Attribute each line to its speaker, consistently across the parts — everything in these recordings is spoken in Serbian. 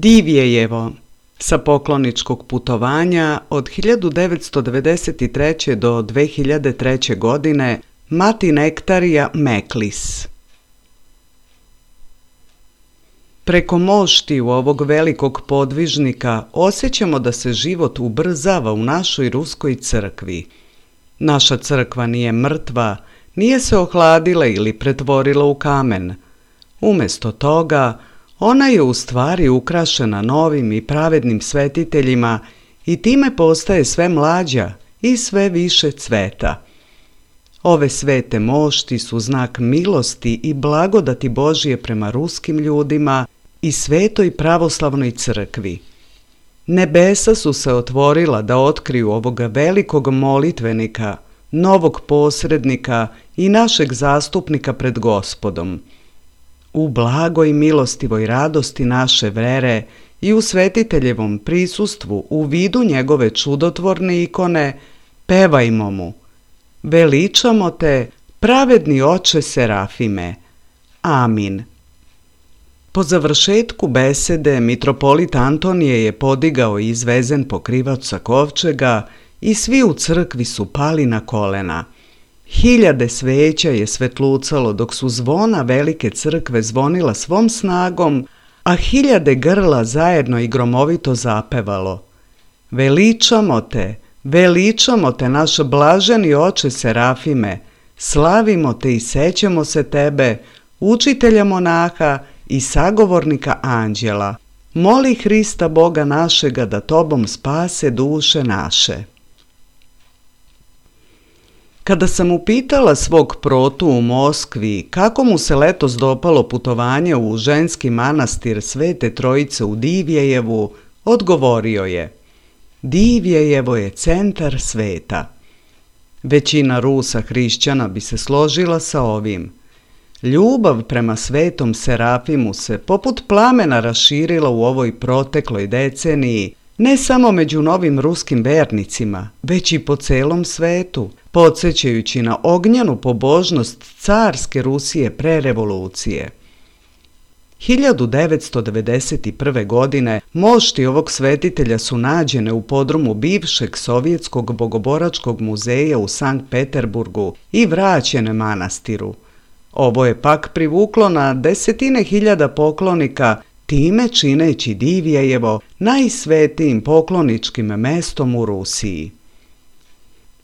Speaker 1: Divjejevo sa pokloničkog putovanja od 1993. do 2003. godine Mati Nektarija Meklis. Preko moštiju ovog velikog podvižnika osjećamo da se život ubrzava u našoj ruskoj crkvi. Naša crkva nije mrtva, nije se ohladila ili pretvorila u kamen. Umjesto toga, ona je u stvari ukrašena novim i pravednim svetiteljima i time postaje sve mlađa i sve više cveta. Ove svete mošti su znak milosti i blagodati Božije prema ruskim ljudima i svetoj pravoslavnoj crkvi. Nebesa su se otvorila da otkriju ovoga velikog molitvenika, novog posrednika i našeg zastupnika pred Gospodom. U blagoj milostivoj radosti naše vere i u svetiteljevom prisustvu u vidu njegove čudotvorne ikone, pevajmo mu: veličamo te, pravedni oče Serafime. Amin. Po završetku besede mitropolit Antonije je podigao i izvezen pokrivač sa kovčega i svi u crkvi su pali na kolena. Hiljade sveća je svetlucalo dok su zvona velike crkve zvonila svom snagom, a hiljade grla zajedno i gromovito zapevalo: veličamo te naš blaženi oče Serafime, slavimo te i sećamo se tebe, učitelja monaha i sagovornika anđela. Moli Hrista Boga našega da tobom spase duše naše. Kada sam upitala svog protu u Moskvi kako mu se letos dopalo putovanje u ženski manastir Svete Trojice u Divjejevu, odgovorio je: Divjejevo je centar sveta. Većina Rusa hrišćana bi se složila sa ovim. Ljubav prema svetom Serafimu se poput plamena raširila u ovoj protekloj deceniji, ne samo među novim ruskim vernicima, već i po celom svetu, podsjećajući na ognjenu pobožnost carske Rusije pre revolucije. 1991. godine mošti ovog svetitelja su nađene u podrumu bivšeg sovjetskog bogoboračkog muzeja u Sankt Peterburgu i vraćene manastiru. Ovo je pak privuklo na desetine hiljada poklonika, time čineći Divjejevo najsvetijim pokloničkim mestom u Rusiji.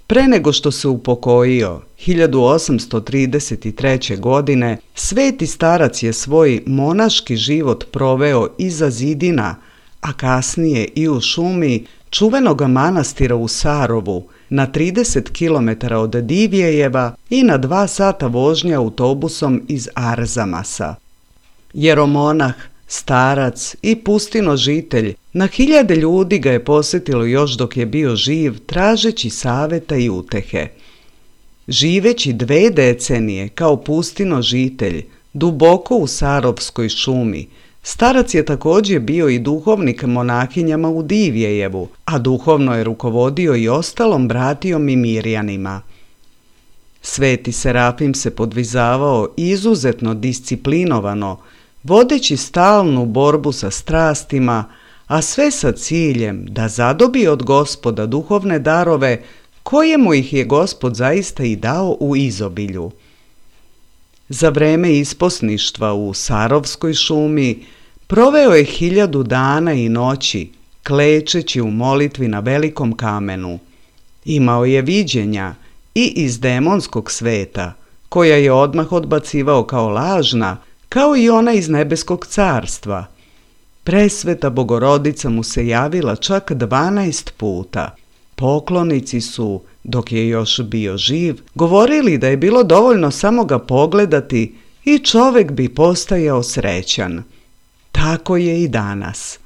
Speaker 1: Pre nego što se upokojio, 1833. godine, sveti starac je svoj monaški život proveo iza zidina, a kasnije i u šumi čuvenog manastira u Sarovu, na 30 km od Divjejeva i na 2 sata vožnje autobusom iz Arzamasa. Jeromonah, starac i pustinožitelj, na hiljade ljudi ga je posjetilo još dok je bio živ, tražeći saveta i utehe. Živeći 2 decenije kao pustinožitelj, duboko u Sarovskoj šumi, starac je također bio i duhovnik monahinjama u Divjejevu, a duhovno je rukovodio i ostalom bratijom i mirjanima. Sveti Serafim se podvizavao izuzetno disciplinovano, vodeći stalnu borbu sa strastima, a sve sa ciljem da zadobije od Gospoda duhovne darove koje mu ih je Gospod zaista i dao u izobilju. Za vreme isposništva u Sarovskoj šumi proveo je 1000 dana i noći, klečeći u molitvi na velikom kamenu. Imao je viđenja i iz demonskog sveta, koja je odmah odbacivao kao lažna, kao i ona iz nebeskog carstva. Presveta Bogorodica mu se javila čak 12 puta. Poklonici su, dok je još bio živ, govorili da je bilo dovoljno samo ga pogledati i čovjek bi postajao srećan. Tako je i danas.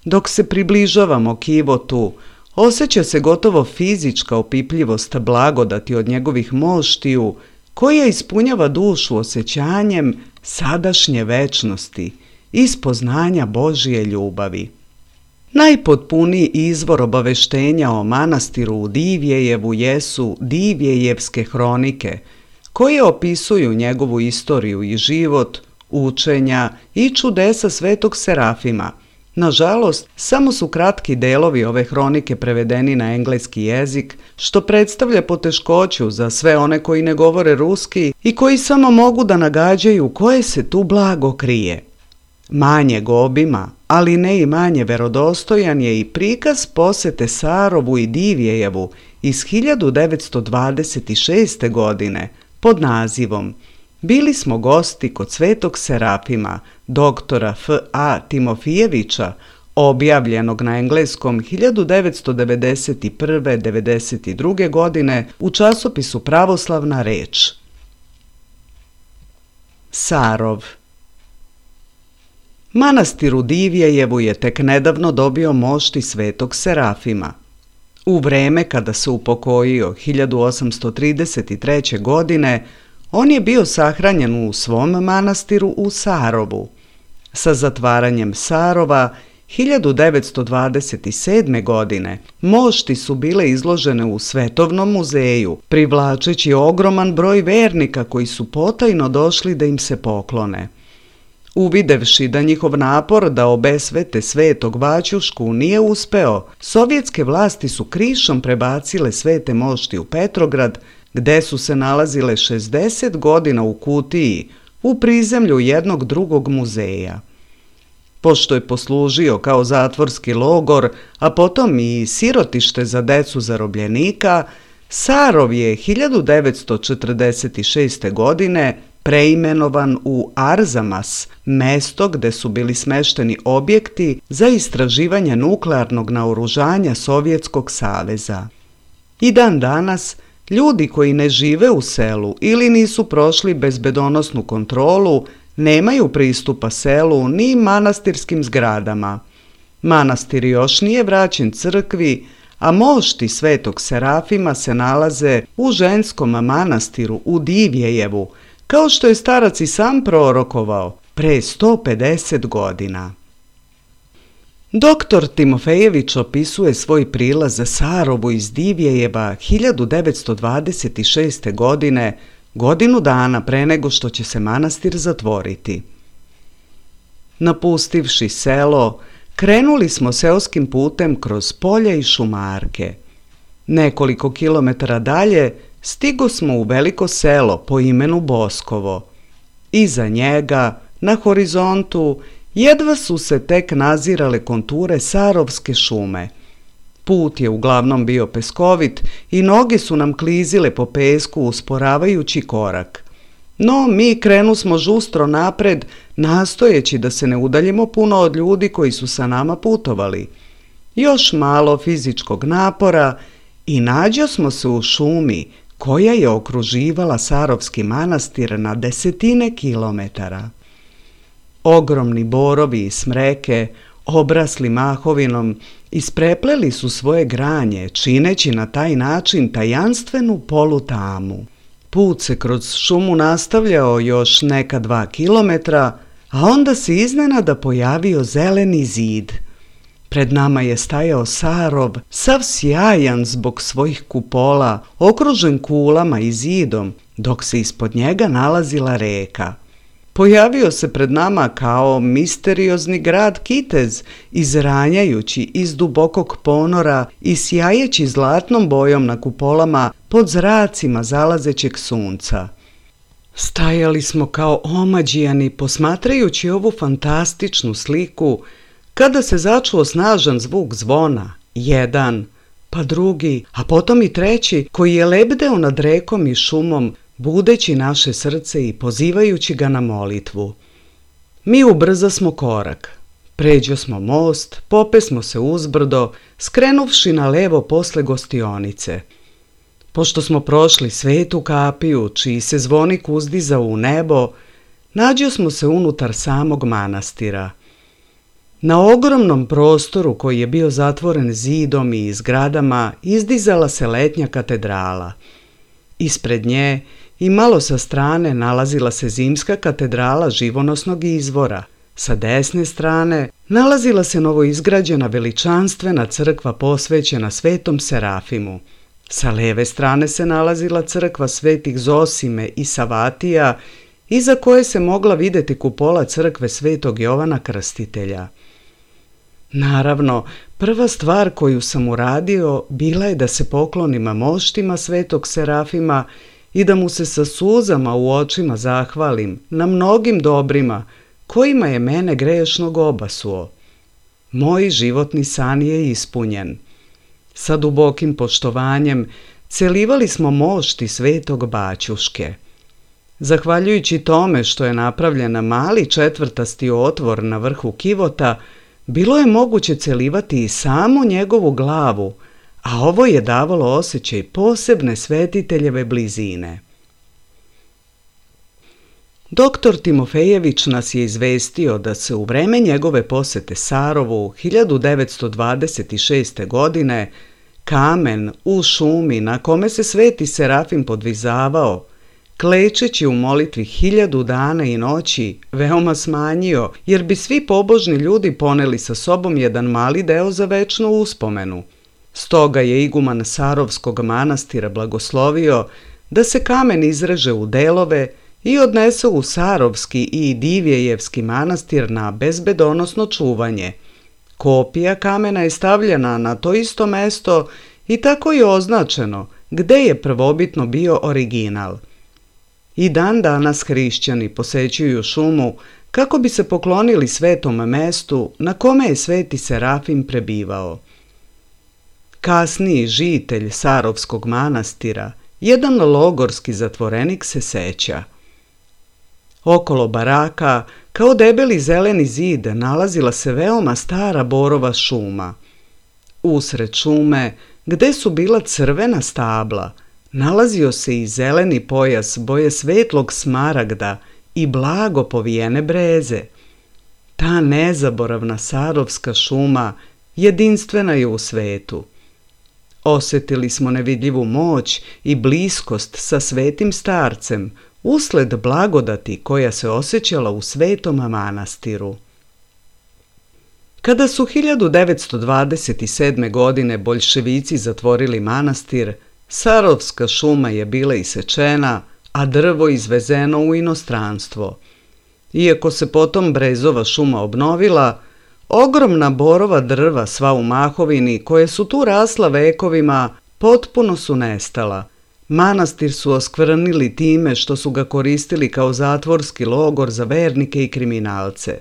Speaker 1: Dok se približavamo kivotu, osjeća se gotovo fizička opipljivost blagodati od njegovih moštiju, koja ispunjava dušu osjećanjem sadašnje večnosti i spoznanja Božije ljubavi. Najpotpuniji izvor obaveštenja o manastiru u Divjejevu jesu Divjejevske hronike, koje opisuju njegovu istoriju i život učenja i čudesa svetog Serafima. Nažalost, samo su kratki delovi ove hronike prevedeni na engleski jezik, što predstavlja poteškoću za sve one koji ne govore ruski i koji samo mogu da nagađaju koje se tu blago krije. Manjeg obima, ali ne i manje verodostojan je i prikaz posete Sarovu i Divjejevu iz 1926. godine pod nazivom Bili smo gosti kod svetog Serafima, doktora F.A. Timofijevića, objavljenog na engleskom 1991-92. godine u časopisu Pravoslavna reč. Sarov. Manastir u Divjejevu je tek nedavno dobio mošti svetog Serafima. U vreme kada se upokojio 1833. godine, on je bio sahranjen u svom manastiru u Sarovu. Sa zatvaranjem Sarova 1927. godine mošti su bile izložene u Svetovnom muzeju, privlačeći ogroman broj vernika koji su potajno došli da im se poklone. Uvidevši da njihov napor da obesvete svetog Vaćušku nije uspeo, sovjetske vlasti su krišom prebacile svete mošti u Petrograd, gde su se nalazile 60 godina u kutiji u prizemlju jednog drugog muzeja. Pošto je poslužio kao zatvorski logor, a potom i sirotište za decu zarobljenika, Sarov je 1946. godine preimenovan u Arzamas, mesto gde su bili smešteni objekti za istraživanje nuklearnog naoružanja Sovjetskog saveza. I dan danas, ljudi koji ne žive u selu ili nisu prošli bezbedonosnu kontrolu nemaju pristupa selu ni manastirskim zgradama. Manastir još nije vraćen crkvi, a mošti svetog Serafima se nalaze u ženskom manastiru u Divjejevu, kao što je starac i sam prorokovao pre 150 godina. Doktor Timofejević opisuje svoj prilaz za Sarovu iz Divjejeva 1926. godine, godinu dana pre nego što će se manastir zatvoriti. Napustivši selo, krenuli smo seoskim putem kroz polja i šumarke. Nekoliko kilometara dalje stigo smo u veliko selo po imenu Boskovo. Iza njega, na horizontu, jedva su se tek nazirale konture Sarovske šume. Put je uglavnom bio peskovit i noge su nam klizile po pesku usporavajući korak. No, mi krenusmo žustro napred, nastojeći da se ne udaljimo puno od ljudi koji su sa nama putovali. Još malo fizičkog napora i nađosmo se u šumi koja je okruživala Sarovski manastir na desetine kilometara. Ogromni borovi i smreke, obrasli mahovinom, isprepleli su svoje granje, čineći na taj način tajanstvenu polutamu. Put se kroz šumu nastavljao još neka 2 kilometra, a onda se iznenada pojavio zeleni zid. Pred nama je stajao Sarov, sav sjajan zbog svojih kupola, okružen kulama i zidom, dok se ispod njega nalazila reka. Pojavio se pred nama kao misteriozni grad Kitez, izranjajući iz dubokog ponora i sjajeći zlatnom bojom na kupolama pod zracima zalazećeg sunca. Stajali smo kao omađijani posmatrajući ovu fantastičnu sliku, kada se začuo snažan zvuk zvona, jedan, pa drugi, a potom i treći, koji je lebdeo nad rekom i šumom, budeći naše srce i pozivajući ga na molitvu. Mi ubrzasmo korak. Pređosmo most, popesmo se uzbrdo, skrenuvši na levo posle gostionice. Pošto smo prošli Svetu kapiju, čiji se zvonik uzdizao u nebo, nađosmo se unutar samog manastira. Na ogromnom prostoru koji je bio zatvoren zidom i zgradama izdizala se letnja katedrala. Ispred nje i malo sa strane nalazila se zimska katedrala živonosnog izvora. Sa desne strane nalazila se novoizgrađena veličanstvena crkva posvećena svetom Serafimu. Sa leve strane se nalazila crkva svetih Zosime i Savatija iza koje se mogla vidjeti kupola crkve Svetog Jovana Krstitelja. Naravno, prva stvar koju sam uradio bila je da se poklonim moštima Svetog Serafima i da mu se sa suzama u očima zahvalim na mnogim dobrima kojima je mene grešnog obasuo. Moj životni san je ispunjen. Sa dubokim poštovanjem celivali smo mošti Svetog Baćuške. Zahvaljujući tome što je napravljen mali četvrtasti otvor na vrhu kivota, bilo je moguće celivati i samo njegovu glavu, a ovo je davalo osjećaj posebne svetiteljeve blizine. Doktor Timofejević nas je izvestio da se u vreme njegove posete Sarovu 1926. godine kamen u šumi na kome se Sveti Serafim podvizavao, klečeći u molitvi 1000 dana i noći, veoma smanjio, jer bi svi pobožni ljudi poneli sa sobom jedan mali deo za večnu uspomenu. Stoga je iguman Sarovskog manastira blagoslovio da se kamen izreže u delove i odnese u Sarovski i Divjejevski manastir na bezbedonosno čuvanje. Kopija kamena je stavljena na to isto mesto i tako je označeno gde je prvobitno bio original. I dan danas hrišćani posećuju šumu kako bi se poklonili svetom mestu na kome je Sveti Serafim prebivao. Kasniji žitelj Sarovskog manastira, jedan logorski zatvorenik, se seća. Okolo baraka, kao debeli zeleni zid, nalazila se veoma stara borova šuma. Usred šume, gde su bila crvena stabla, nalazio se i zeleni pojas boje svetlog smaragda i blago povijene breze. Ta nezaboravna sarovska šuma jedinstvena je u svetu. Osjetili smo nevidljivu moć i bliskost sa svetim starcem usled blagodati koja se osjećala u svetom manastiru. Kada su 1927. godine boljševici zatvorili manastir, Sarovska šuma je bila isečena, a drvo izvezeno u inostranstvo. Iako se potom brezova šuma obnovila, ogromna borova drva sva u mahovini, koje su tu rasla vekovima, potpuno su nestala. Manastir su oskvrnili time što su ga koristili kao zatvorski logor za vernike i kriminalce.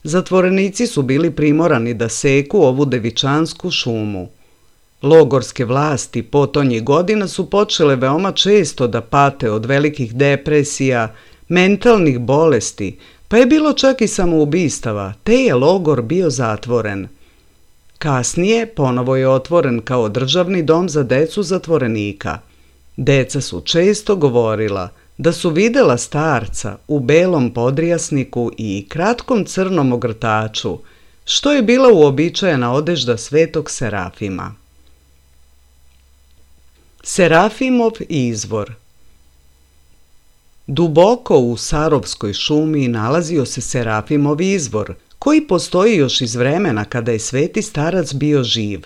Speaker 1: Zatvorenici su bili primorani da seku ovu devičansku šumu. Logorske vlasti potonjih godina su počele veoma često da pate od velikih depresija, mentalnih bolesti, pa je bilo čak i samoubistava, te je logor bio zatvoren. Kasnije ponovo je otvoren kao državni dom za decu zatvorenika. Deca su često govorila da su videla starca u belom podrijasniku i kratkom crnom ogrtaču, što je bila uobičajena odežda Svetog Serafima. Serafimov izvor. Duboko u Sarovskoj šumi nalazio se Serafimov izvor, koji postoji još iz vremena kada je Sveti starac bio živ.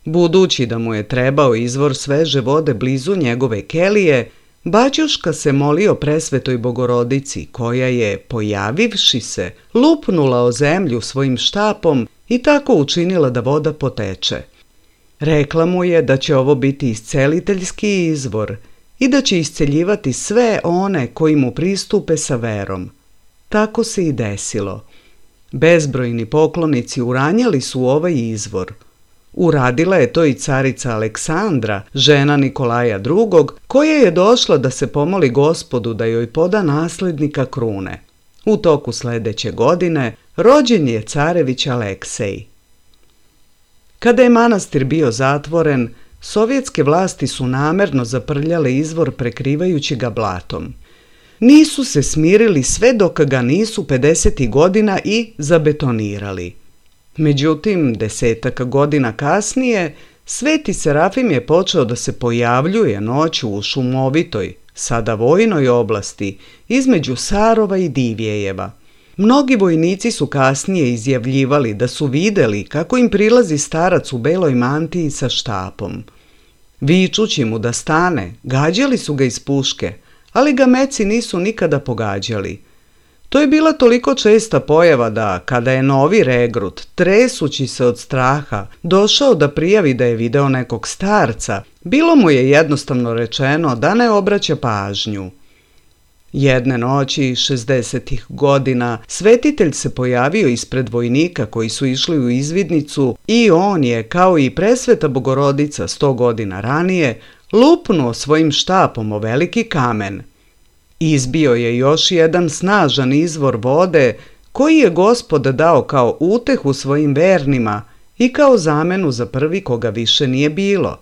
Speaker 1: Budući da mu je trebao izvor sveže vode blizu njegove kelije, Baćuška se molio presvetoj Bogorodici, koja je, pojavivši se, lupnula o zemlju svojim štapom i tako učinila da voda poteče. Rekla mu je da će ovo biti isceliteljski izvor i da će isceljivati sve one koji mu pristupe sa verom. Tako se i desilo. Bezbrojni poklonici uranjali su ovaj izvor. Uradila je to i carica Aleksandra, žena Nikolaja II, koja je došla da se pomoli Gospodu da joj poda naslednika krune. U toku sledeće godine rođen je carević Aleksej. Kada je manastir bio zatvoren, sovjetske vlasti su namerno zaprljale izvor prekrivajući ga blatom. Nisu se smirili sve dok ga nisu 50. godina i zabetonirali. Međutim, 10 godina kasnije, Sveti Serafim je počeo da se pojavljuje noću u šumovitoj, sada vojnoj oblasti, između Sarova i Divjejeva. Mnogi vojnici su kasnije izjavljivali da su videli kako im prilazi starac u beloj mantiji sa štapom. Vičući mu da stane, gađali su ga iz puške, ali ga meci nisu nikada pogađali. To je bila toliko česta pojava da, kada je novi regrut, tresući se od straha, došao da prijavi da je video nekog starca, bilo mu je jednostavno rečeno da ne obraća pažnju. Jedne noći, 60-ih godina, svetitelj se pojavio ispred vojnika koji su išli u izvidnicu i on je, kao i presveta Bogorodica 100 godina ranije, lupnuo svojim štapom o veliki kamen. Izbio je još jedan snažan izvor vode koji je Gospod dao kao utehu svojim vernima i kao zamenu za prvi koga više nije bilo.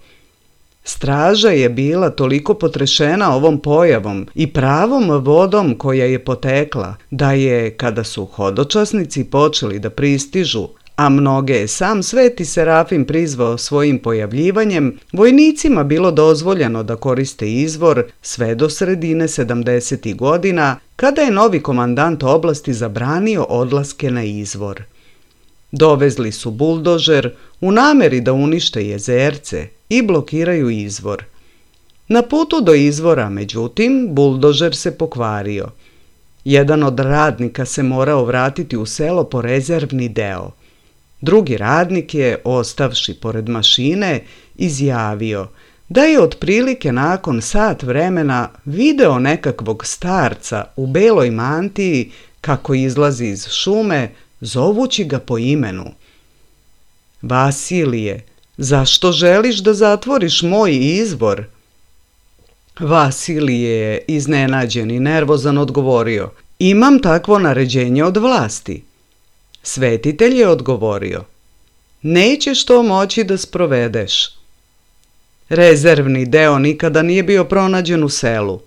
Speaker 1: Straža je bila toliko potrešena ovom pojavom i pravom vodom koja je potekla, da je, kada su hodočasnici počeli da pristižu, a mnoge je sam Sveti Serafim prizvao svojim pojavljivanjem, vojnicima bilo dozvoljeno da koriste izvor sve do sredine 70. godina, kada je novi komandant oblasti zabranio odlaske na izvor. Dovezli su buldožer u nameri da unište jezerce i blokiraju izvor. Na putu do izvora, međutim, buldožer se pokvario. Jedan od radnika se morao vratiti u selo po rezervni deo. Drugi radnik je, ostavši pored mašine, izjavio da je otprilike nakon sat vremena video nekakvog starca u beloj mantiji kako izlazi iz šume, zovući ga po imenu. Vasilije, zašto želiš da zatvoriš moj izvor? Vasilije je, iznenađen i nervozan, odgovorio: imam takvo naređenje od vlasti. Svetitelj je odgovorio: nećeš to moći da sprovedeš. Rezervni deo nikada nije bio pronađen u selu.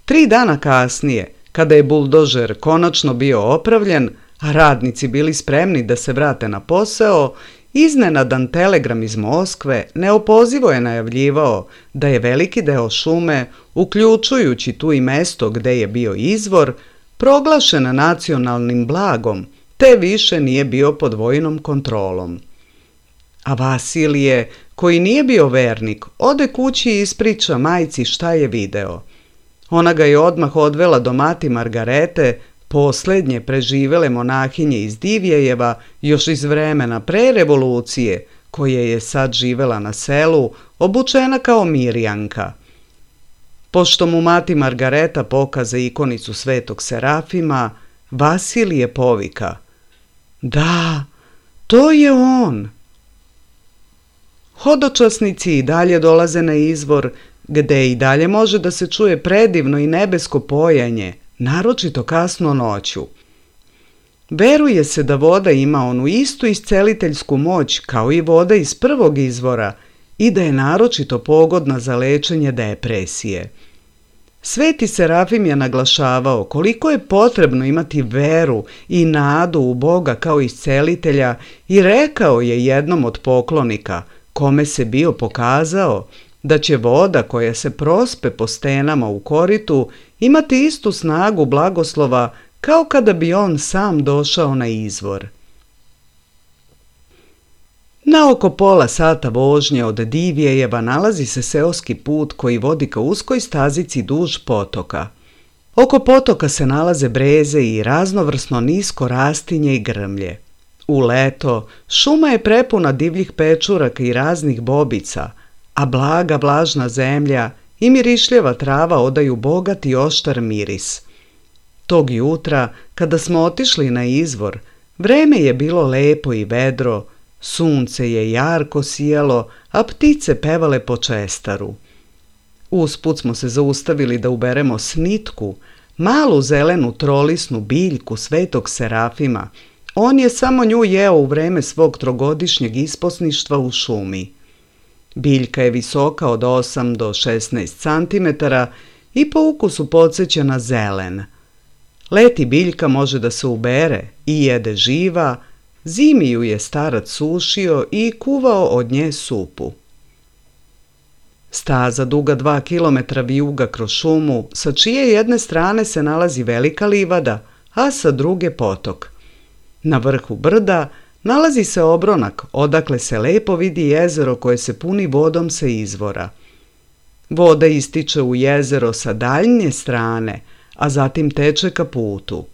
Speaker 1: 3 dana kasnije, kada je buldožer konačno bio opravljen, a radnici bili spremni da se vrate na posao, iznenadan telegram iz Moskve neopozivo je najavljivao da je veliki deo šume, uključujući tu i mesto gde je bio izvor, proglašen nacionalnim blagom, te više nije bio pod vojnom kontrolom. A Vasilije, koji nije bio vernik, ode kući i ispriča majci šta je video. Ona ga je odmah odvela do mati Margarete, poslednje preživele monahinje iz Divjejeva, još iz vremena pre revolucije, koja je sad živela na selu, obučena kao Mirjanka. Pošto mu mati Margareta pokaza ikonicu Svetog Serafima, Vasilije povika: da, to je on. Hodočasnici i dalje dolaze na izvor, gde i dalje može da se čuje predivno i nebesko pojanje, naročito kasno noću. Veruje se da voda ima onu istu isceliteljsku moć kao i voda iz prvog izvora i da je naročito pogodna za lečenje depresije. Sveti Serafim je naglašavao koliko je potrebno imati veru i nadu u Boga kao iscelitelja i rekao je jednom od poklonika, kome se bio pokazao, da će voda koja se prospe po stenama u koritu imati istu snagu blagoslova kao kada bi on sam došao na izvor. Na oko pola sata vožnje od Divjejeva nalazi se seoski put koji vodi ka uskoj stazici duž potoka. Oko potoka se nalaze breze i raznovrsno nisko rastinje i grmlje. U leto šuma je prepuna divljih pečuraka i raznih bobica, a blaga vlažna zemlja i mirišljava trava odaju bogat i oštar miris. Tog jutra, kada smo otišli na izvor, vreme je bilo lepo i vedro, sunce je jarko sijalo, a ptice pevale po čestaru. Usput smo se zaustavili da uberemo snitku, malu zelenu trolisnu biljku Svetog Serafima. On je samo nju jeo u vreme svog trogodišnjeg isposništva u šumi. Biljka je visoka od 8 do 16 cm i po ukusu podseća na zelen. Leti biljka može da se ubere i jede živa, zimi ju je starac sušio i kuvao od nje supu. Staza duga 2 kilometra vijuga kroz šumu, sa čije jedne strane se nalazi velika livada, a sa druge potok. Na vrhu brda nalazi se obronak, odakle se lepo vidi jezero koje se puni vodom sa izvora. Voda ističe u jezero sa daljnje strane, a zatim teče ka putu.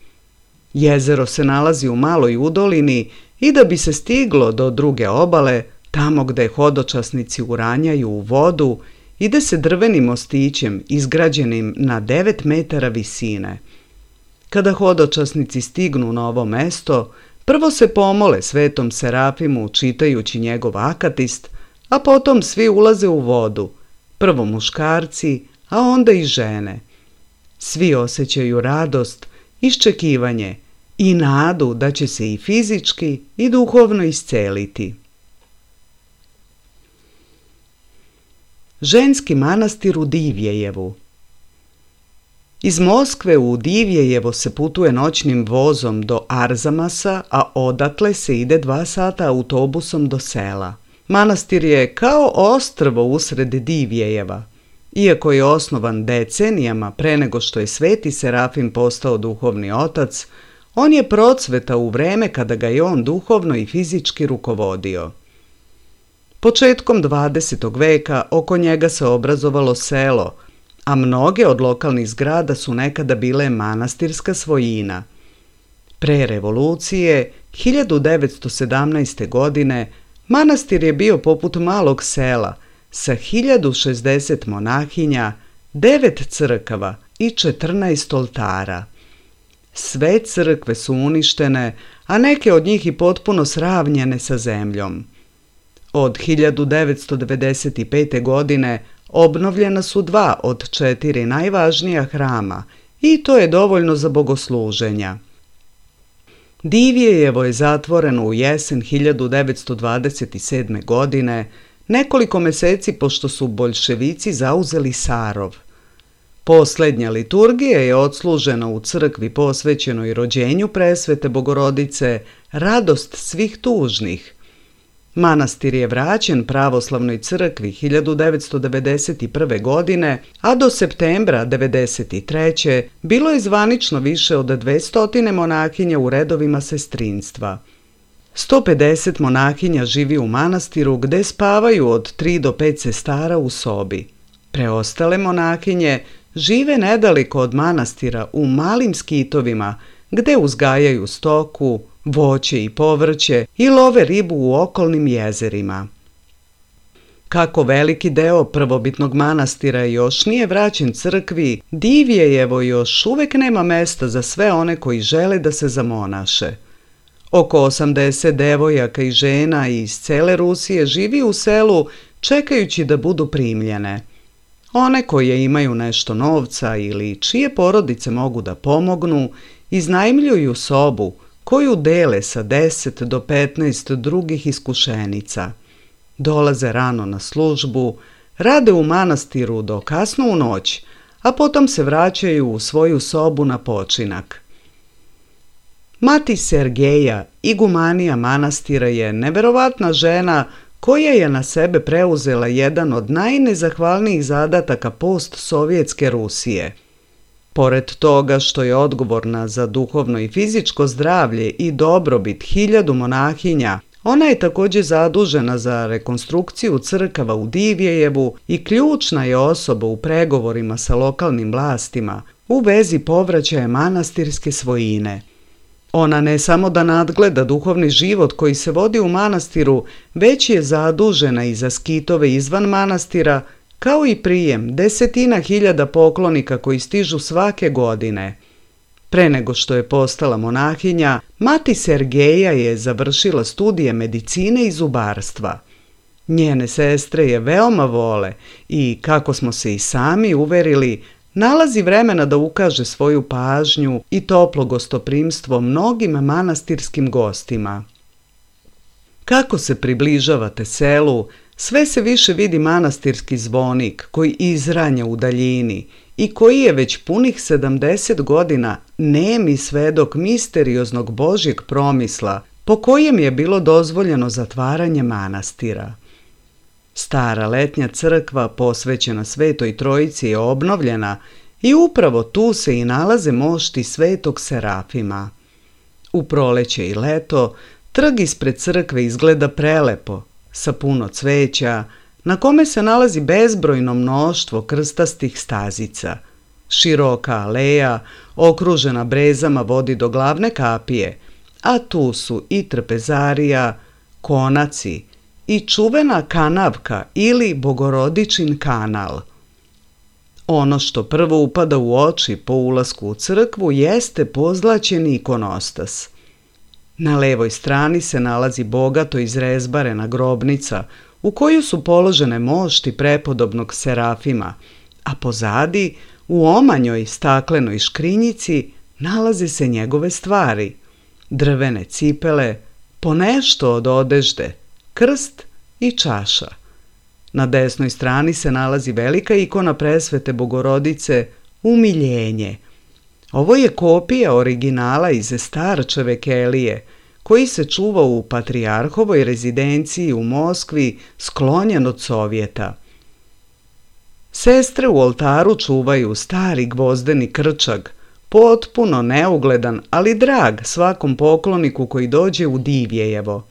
Speaker 1: Jezero se nalazi u maloj udolini i da bi se stiglo do druge obale, tamo gde hodočasnici uranjaju u vodu, ide se drvenim mostićem izgrađenim na 9 metara visine. Kada hodočasnici stignu na ovo mesto, prvo se pomole Svetom Serafimu čitajući njegov akatist, a potom svi ulaze u vodu, prvo muškarci, a onda i žene. Svi osjećaju radost, iščekivanje i nadu da će se i fizički i duhovno isceliti. Ženski manastir u Divjejevu. Iz Moskve u Divjejevo se putuje noćnim vozom do Arzamasa, a odatle se ide 2 sata autobusom do sela. Manastir je kao ostrvo usred Divjejeva. Iako je osnovan decenijama pre nego što je Sveti Serafim postao duhovni otac, on je procvetao u vreme kada ga je on duhovno i fizički rukovodio. Početkom 20. veka oko njega se obrazovalo selo, a mnoge od lokalnih zgrada su nekada bile manastirska svojina. Pre revolucije, 1917. godine, manastir je bio poput malog sela sa 1060 monahinja, 9 crkava i 14 oltara. Sve crkve su uništene, a neke od njih i potpuno sravnjene sa zemljom. Od 1995. godine obnovljena su 2 od 4 najvažnija hrama i to je dovoljno za bogosluženja. Divjejevo je zatvoreno u jesen 1927. godine, nekoliko meseci pošto su boljševici zauzeli Sarov. Poslednja liturgija je odslužena u crkvi posvećenoj rođenju Presvete Bogorodice, radost svih tužnih. Manastir je vraćen pravoslavnoj crkvi 1991. godine, a do septembra 1993. bilo je zvanično više od 200 monahinja u redovima sestrinstva. 150 monahinja živi u manastiru gde spavaju od 3 do 5 sestara u sobi. Preostale monahinje žive nedaleko od manastira u malim skitovima gde uzgajaju stoku, voće i povrće i love ribu u okolnim jezerima. Kako veliki deo prvobitnog manastira još nije vraćen crkvi, Divjejevo još uvek nema mesta za sve one koji žele da se zamonaše. Oko 80 devojaka i žena iz cele Rusije živi u selu čekajući da budu primljene. One koje imaju nešto novca ili čije porodice mogu da pomognu, iznajmljuju sobu koju dele sa 10 do 15 drugih iskušenica. Dolaze rano na službu, rade u manastiru do kasno u noć, a potom se vraćaju u svoju sobu na počinak. Mati Sergeja, igumanija manastira, je neverovatna žena koja je na sebe preuzela jedan od najnezahvalnijih zadataka postsovjetske Rusije. Pored toga što je odgovorna za duhovno i fizičko zdravlje i dobrobit 1000 monahinja, ona je također zadužena za rekonstrukciju crkava u Divjejevu i ključna je osoba u pregovorima sa lokalnim vlastima u vezi povraćaja manastirske svojine. Ona ne samo da nadgleda duhovni život koji se vodi u manastiru, već je zadužena i za skitove izvan manastira, kao i prijem 10.000 poklonika koji stižu svake godine. Pre nego što je postala monahinja, mati Sergeja je završila studije medicine i zubarstva. Njene sestre je veoma vole i, kako smo se i sami uverili, nalazi vremena da ukaže svoju pažnju i toplo gostoprimstvo mnogim manastirskim gostima. Kako se približavate selu, sve se više vidi manastirski zvonik koji izranja u daljini i koji je već punih 70 godina nemi svedok misterioznog Božjeg promisla po kojem je bilo dozvoljeno zatvaranje manastira. Stara letnja crkva posvećena Svetoj Trojici je obnovljena i upravo tu se i nalaze mošti Svetog Serafima. U proleće i leto trg ispred crkve izgleda prelepo, sa puno cveća, na kome se nalazi bezbrojno mnoštvo krstastih stazica. Široka aleja, okružena brezama, vodi do glavne kapije, a tu su i trpezarija, konaci i čuvena kanavka ili Bogorodičin kanal. Ono što prvo upada u oči po ulasku u crkvu jeste pozlaćeni ikonostas. Na levoj strani se nalazi bogato izrezbarena grobnica u koju su položene mošti prepodobnog Serafima, a pozadi, u omanjoj staklenoj škrinjici, nalaze se njegove stvari, drvene cipele, ponešto od odežde, krst i čaša. Na desnoj strani se nalazi velika ikona presvete Bogorodice, Umiljenje. Ovo je kopija originala iz Starčeve kelije, koji se čuva u patrijarhovoj rezidenciji u Moskvi, sklonjen od Sovjeta. Sestre u oltaru čuvaju stari gvozdeni krčag, potpuno neugledan, ali drag svakom pokloniku koji dođe u Divjejevo.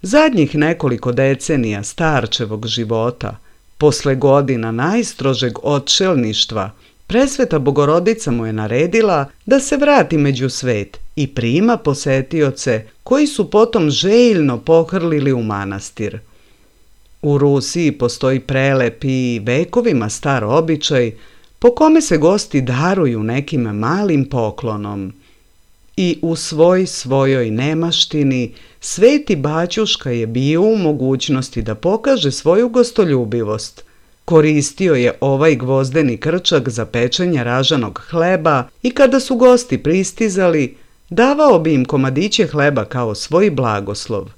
Speaker 1: Zadnjih nekoliko decenija Starčevog života, posle godina najstrožeg odšelništva, presveta Bogorodica mu je naredila da se vrati među svet i prima posetioce koji su potom željno pohrlili u manastir. U Rusiji postoji prelep i vekovima star običaj po kome se gosti daruju nekim malim poklonom. I u svojoj nemaštini sveti baćuška je bio u mogućnosti da pokaže svoju gostoljubivost. Koristio je ovaj gvozdeni krčak za pečenje ražanog hleba i kada su gosti pristizali, davao bi im komadiće hleba kao svoj blagoslov.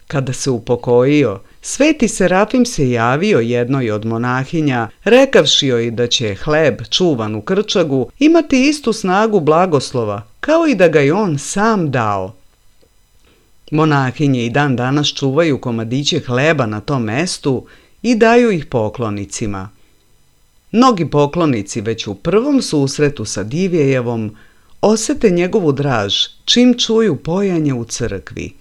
Speaker 1: Kada se upokojio, sveti Serafim se javio jednoj od monahinja, rekavši joj da će hleb čuvan u krčagu imati istu snagu blagoslova, kao i da ga je on sam dao. Monahinje i dan danas čuvaju komadiće hleba na tom mestu i daju ih poklonicima. Mnogi poklonici već u prvom susretu sa Divjejevom osete njegovu draž čim čuju pojanje u crkvi.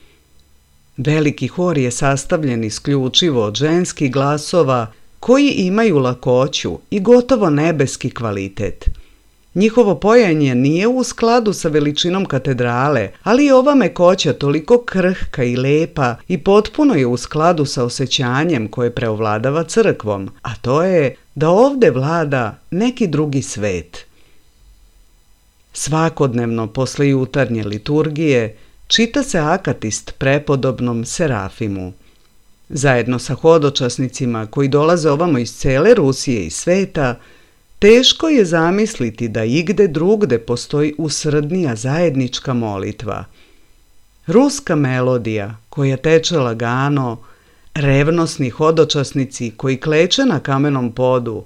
Speaker 1: Veliki hor je sastavljen isključivo od ženskih glasova koji imaju lakoću i gotovo nebeski kvalitet. Njihovo pojanje nije u skladu sa veličinom katedrale, ali je ova mekoća toliko krhka i lepa i potpuno je u skladu sa osjećanjem koje preovladava crkvom, a to je da ovde vlada neki drugi svet. Svakodnevno posle jutarnje liturgije čita se akatist prepodobnom Serafimu. Zajedno sa hodočasnicima koji dolaze ovamo iz cele Rusije i sveta, teško je zamisliti da igde drugde postoji usrdnija zajednička molitva. Ruska melodija koja teče lagano, revnosni hodočasnici koji kleče na kamenom podu,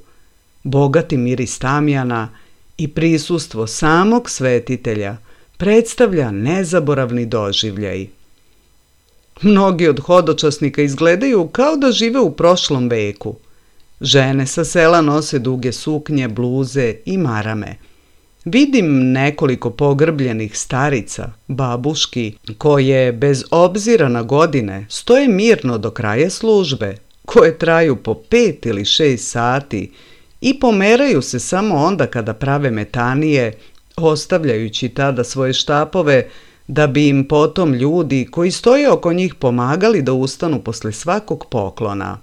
Speaker 1: bogati miris tamjana i prisustvo samog svetitelja predstavlja nezaboravni doživljaj. Mnogi od hodočasnika izgledaju kao da žive u prošlom veku. Žene sa sela nose duge suknje, bluze i marame. Vidim nekoliko pogrbljenih starica, babuški, koje bez obzira na godine stoje mirno do kraja službe, koje traju po 5 ili 6 sati i pomeraju se samo onda kada prave metanije, ostavljajući tada svoje štapove da bi im potom ljudi koji stoje oko njih pomagali da ustanu posle svakog poklona.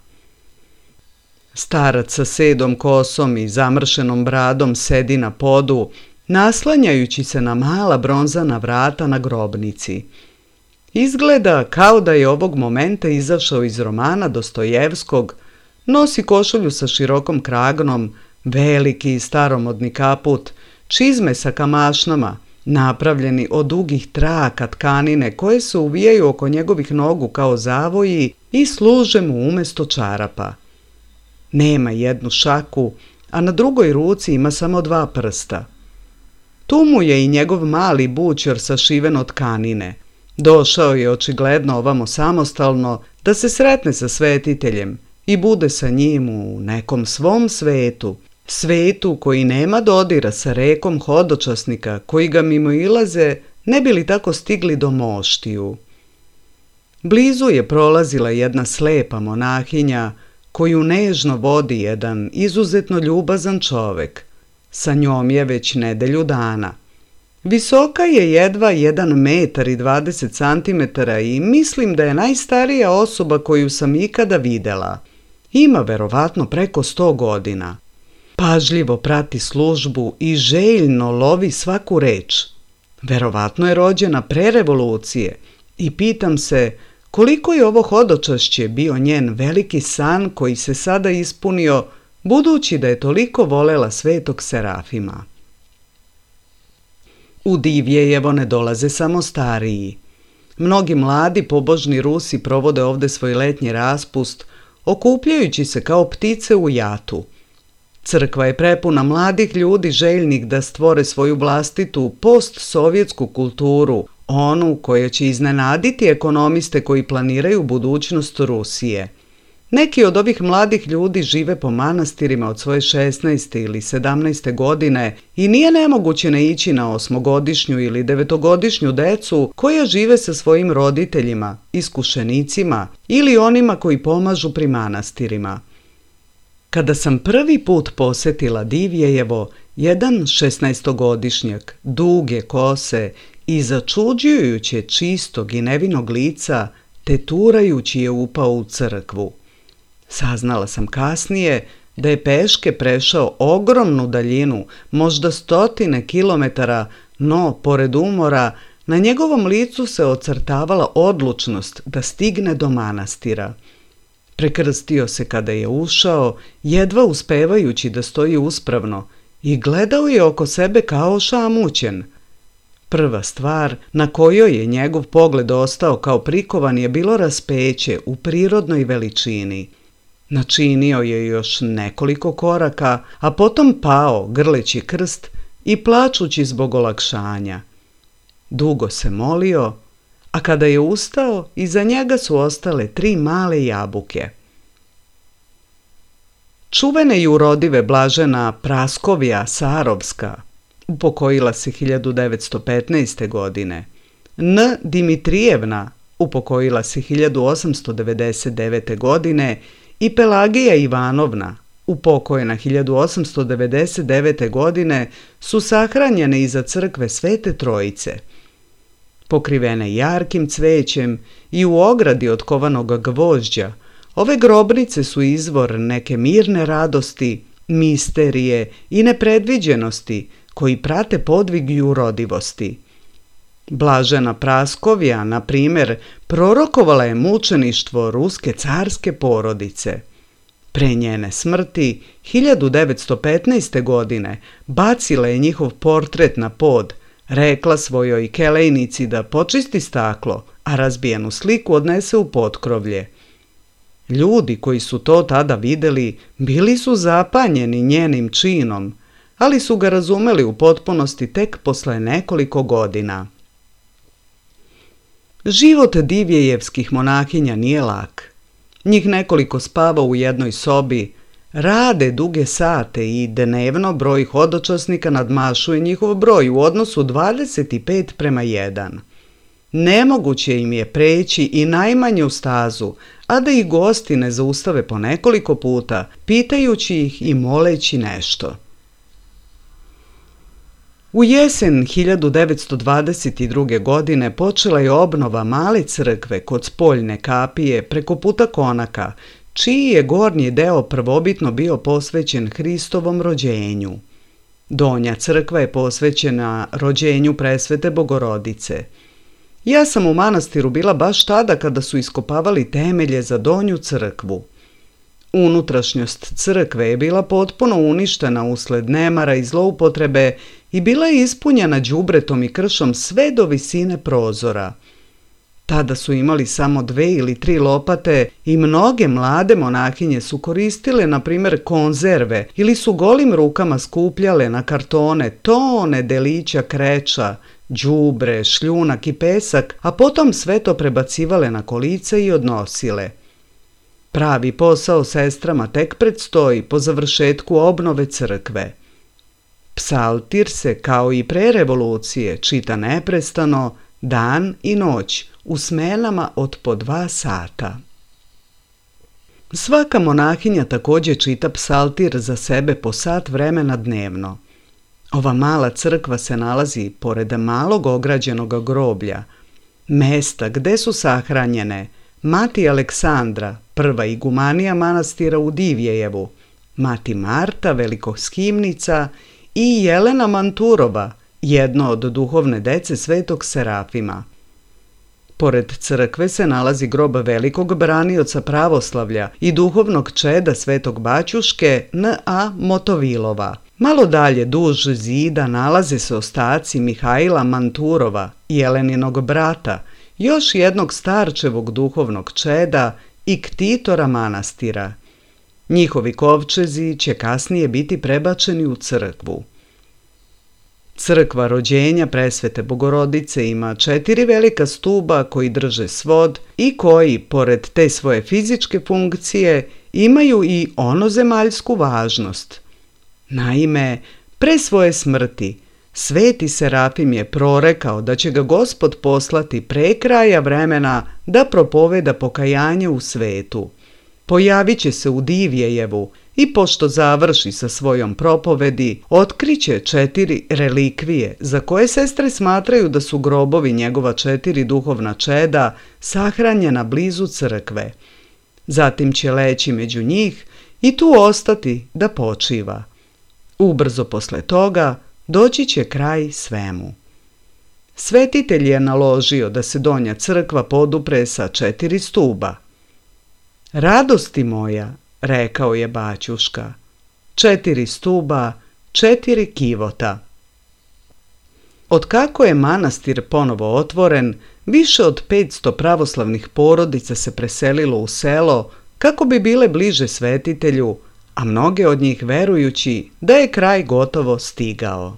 Speaker 1: Starac sa sedom kosom i zamršenom bradom sedi na podu, naslanjajući se na mala bronzana vrata na grobnici. Izgleda kao da je ovog momenta izašao iz romana Dostojevskog, nosi košulju sa širokom kragnom, veliki i staromodni kaput, čizme sa kamašnama, napravljeni od dugih traka tkanine koje se uvijaju oko njegovih nogu kao zavoji i služe mu umesto čarapa. Nema jednu šaku, a na drugoj ruci ima samo 2 prsta. Tu mu je i njegov mali bućor sašiven od tkanine. Došao je očigledno ovamo samostalno da se sretne sa svetiteljem i bude sa njim u nekom svom svetu, svetu koji nema dodira sa rekom hodočasnika koji ga mimoilaze ne bi li tako stigli do moštiju. Blizu je prolazila jedna slepa monahinja koju nežno vodi jedan izuzetno ljubazan čovek. Sa njom je već nedelju dana. Visoka je jedva 1,20 m i mislim da je najstarija osoba koju sam ikada videla. Ima verovatno preko 100 godina. Pažljivo prati službu i željno lovi svaku reč. Verovatno je rođena pre revolucije i pitam se koliko je ovo hodočašće bio njen veliki san koji se sada ispunio, budući da je toliko volela svetog Serafima. U Divjejevo ne dolaze samo stariji. Mnogi mladi pobožni Rusi provode ovde svoj letnji raspust, okupljajući se kao ptice u jatu. Crkva je prepuna mladih ljudi željnih da stvore svoju vlastitu postsovjetsku kulturu, onu koja će iznenaditi ekonomiste koji planiraju budućnost Rusije. Neki od ovih mladih ljudi žive po manastirima od svoje 16. ili 17. godine i nije nemoguće ne ići na 8-godišnju ili 9-godišnju decu koja žive sa svojim roditeljima, iskušenicima ili onima koji pomažu pri manastirima. Kada sam prvi put posetila Divjejevo, jedan 16-godišnjak, duge kose i začuđujuće čistog i nevinog lica, teturajući je upao u crkvu. Saznala sam kasnije da je peške prešao ogromnu daljinu, možda 100 kilometara, no, pored umora, na njegovom licu se ocrtavala odlučnost da stigne do manastira. Prekrstio se kada je ušao, jedva uspevajući da stoji uspravno, i gledao je oko sebe kao ošamućen. Prva stvar na kojoj je njegov pogled ostao kao prikovan je bilo raspeće u prirodnoj veličini. Načinio je još nekoliko koraka, a potom pao grleći krst i plačući zbog olakšanja. Dugo se molio, a kada je ustao, iza njega su ostale 3 male jabuke. Čuvena i urodive blažena Praskovija Sarovska upokojila se 1915. godine. N. Dimitrijevna upokojila se 1899. godine i Pelagija Ivanovna, upokojena 1899. godine, su sahranjene iza crkve Svete Trojice. Pokrivene jarkim cvećem i u ogradi od kovanog gvožđa, ove grobnice su izvor neke mirne radosti, misterije i nepredviđenosti koji prate podvig i urodivosti. Blažena Praskovija, na primjer, prorokovala je mučeništvo ruske carske porodice. Pre njene smrti, 1915. godine, bacila je njihov portret na pod, rekla svojoj kelejnici da počisti staklo, a razbijenu sliku odnese u potkrovlje. Ljudi koji su to tada videli bili su zapanjeni njenim činom, ali su ga razumeli u potpunosti tek posle nekoliko godina. Život divjejevskih monahinja nije lak. Njih nekoliko spava u jednoj sobi, rade duge sate i dnevno broj hodočasnika nadmašuje njihov broj u odnosu 25:1. Nemoguće im je preći i najmanju stazu, a da ih gosti ne zaustave po nekoliko puta, pitajući ih i moleći nešto. U jesen 1922. godine počela je obnova male crkve kod spoljne kapije preko puta Konaka, čiji je gornji deo prvobitno bio posvećen Hristovom rođenju. Donja crkva je posvećena rođenju Presvete Bogorodice. Ja sam u manastiru bila baš tada kada su iskopavali temelje za donju crkvu. Unutrašnjost crkve je bila potpuno uništena usled nemara i zloupotrebe i bila je ispunjena đubretom i kršom sve do visine prozora. Tada su imali samo 2 ili 3 lopate i mnoge mlade monahinje su koristile, na primjer, konzerve ili su golim rukama skupljale na kartone tone delića kreča, đubre, šljunak i pesak, a potom sve to prebacivale na kolica i odnosile. Pravi posao sestrama tek predstoji po završetku obnove crkve. Psaltir se, kao i pre revolucije, čita neprestano, dan i noć, u smenama od po 2 sata. Svaka monahinja također čita psaltir za sebe po sat vremena dnevno. Ova mala crkva se nalazi pored malog ograđenog groblja, mesta gde su sahranjene mati Aleksandra, prva igumanija manastira u Divjejevu, mati Marta, velikoskimnica i Jelena Manturova, jedno od duhovne dece svetog Serafima. Pored crkve se nalazi grob velikog branioca pravoslavlja i duhovnog čeda svetog Baćuške N.A. Motovilova. Malo dalje duž zida nalaze se ostaci Mihajla Manturova, Jeleninog brata, još jednog starčevog duhovnog čeda i ktitora manastira. Njihovi kovčezi će kasnije biti prebačeni u crkvu. Crkva rođenja Presvete Bogorodice ima 4 velika stuba koji drže svod i koji, pored te svoje fizičke funkcije, imaju i onozemaljsku važnost. Naime, pre svoje smrti, Sveti Serafim je prorekao da će ga Gospod poslati pre kraja vremena da propoveda pokajanje u svetu. Pojavit će se u Divjejevu i pošto završi sa svojom propovedi, otkriće 4 relikvije za koje sestre smatraju da su grobovi njegova 4 duhovna čeda sahranjena blizu crkve. Zatim će leći među njih i tu ostati da počiva. Ubrzo posle toga doći će kraj svemu. Svetitelj je naložio da se donja crkva podupre sa 4 stuba. Radosti moja, rekao je Baćuška, 4 stuba, 4 kivota. Otkako je manastir ponovo otvoren, više od 500 pravoslavnih porodica se preselilo u selo kako bi bile bliže svetitelju, a mnoge od njih verujući da je kraj gotovo stigao.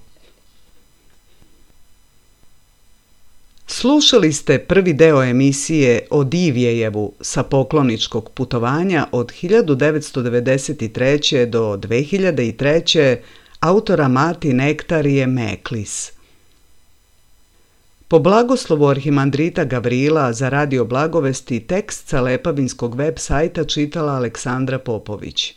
Speaker 1: Slušali ste prvi deo emisije o Divjejevu sa pokloničkog putovanja od 1993. do 2003. autora mati Nektarije Meklis. Po blagoslovu arhimandrita Gavrila za Radio Blagovesti tekst sa Lepavinskog web sajta čitala Aleksandra Popović.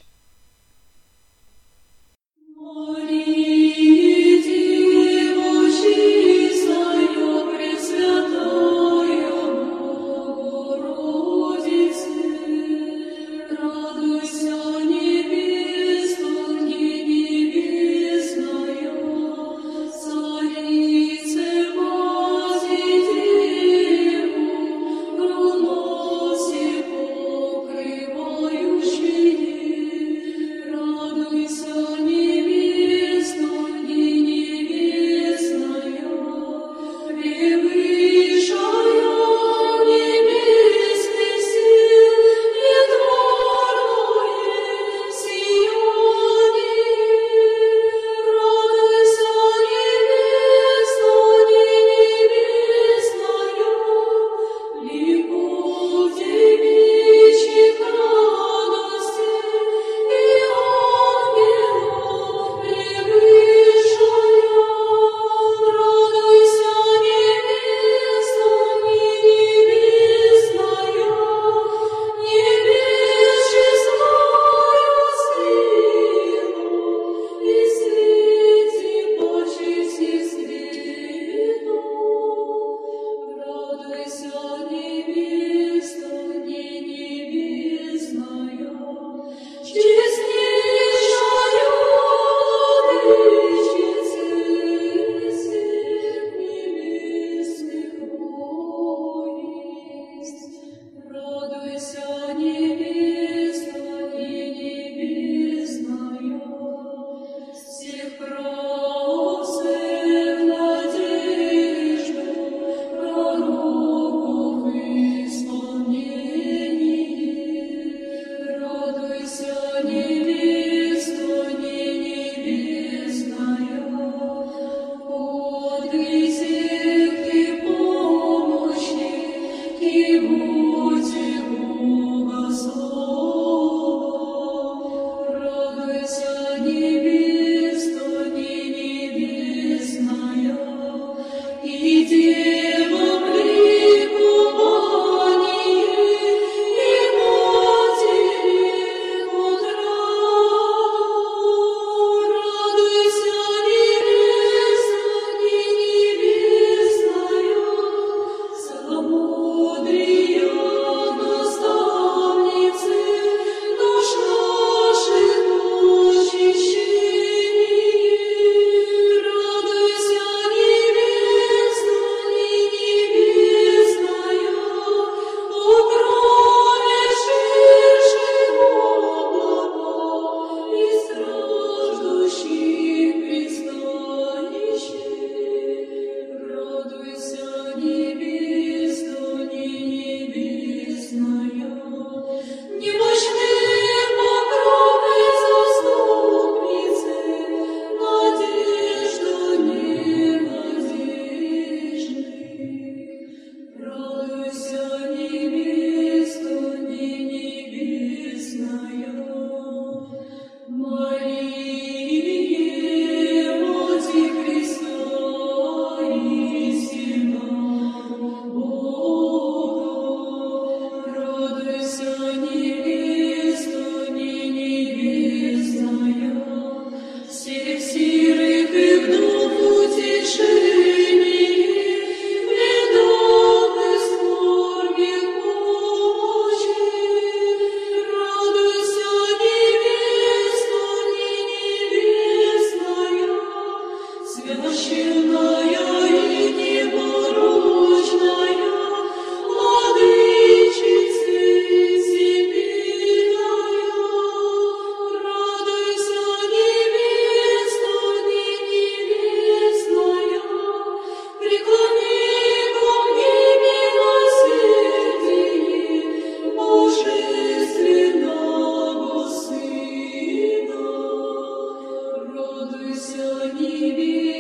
Speaker 2: niebie